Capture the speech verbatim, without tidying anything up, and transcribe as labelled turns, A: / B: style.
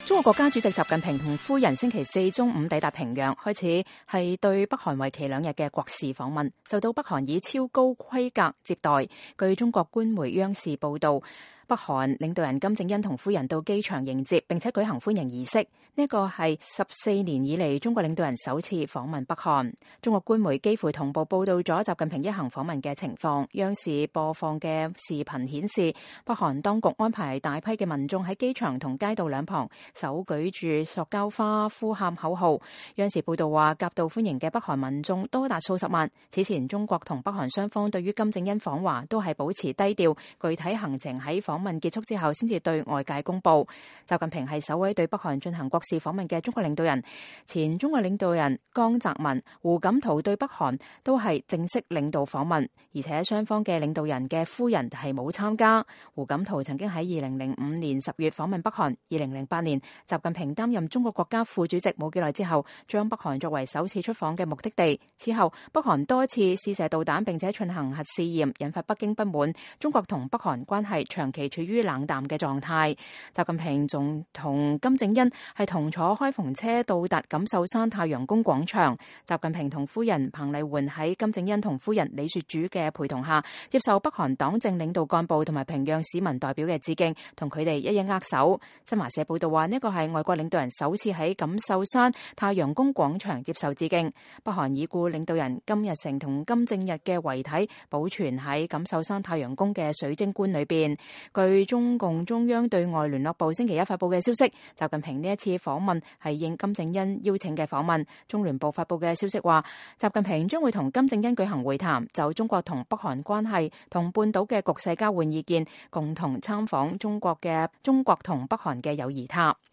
A: 中國國家主席習近平同夫人星期四中午抵達平壤，開始係對北韓為期兩日嘅國事訪問，受到北韓以超高規格接待。據中國官媒央視報道，北韓領導人金正恩同夫人到機場迎接，並且舉行歡迎儀式。呢個係十四年以嚟中國領導人首次訪問北韓。中國官媒幾乎同步報道咗習近平一行訪問嘅情況。央視播放嘅視頻顯示，北韓當局安排大批嘅民眾喺機場同街道兩旁手舉住塑膠花，呼喊口號。央視報道話，夾道歡迎嘅北韓民眾多達數十萬。此前中國同北韓雙方對於金正恩訪華都係保持低調，具體行程喺訪問結束之後先至對外界公布。習近平係首位對北韓進行國事訪問嘅中國領導人。前中國領導人江澤民、胡錦濤對北韓都係正式領導訪問，而且雙方嘅領導人嘅夫人係冇參加。胡錦濤曾經喺二零零五年十月訪問北韓，二零零八年習近平擔任中國國家副主席冇幾耐之後，將北韓作為首次出訪嘅目的地。此後北韓多次試射導彈並且進行核試驗，引發北京不滿，中國同北韓關係長期處於冷淡嘅狀態。習近平仲同金正恩係同坐開篷車到達錦繡山太陽宮廣場。習近平同夫人彭麗媛喺金正恩同夫人李雪主嘅陪同下，接受北韓黨政領導幹部同埋平壤市民代表嘅致敬，同佢哋一一握手。新華社報道話，呢個係外國領導人首次喺錦繡山太陽宮廣場接受致敬。北韓已故領導人金日成同金正日嘅遺體保存喺錦繡山太陽宮嘅水晶棺裏邊。據中共中央對外聯絡部星期一發佈嘅消息，習近平呢一次訪問係應金正恩邀請嘅訪問。中聯部發佈嘅消息話，習近平將會同金正恩舉行會談，就中國同北韓關係同半島嘅局勢交換意見，共同參訪中國嘅中國同北韓嘅友誼塔。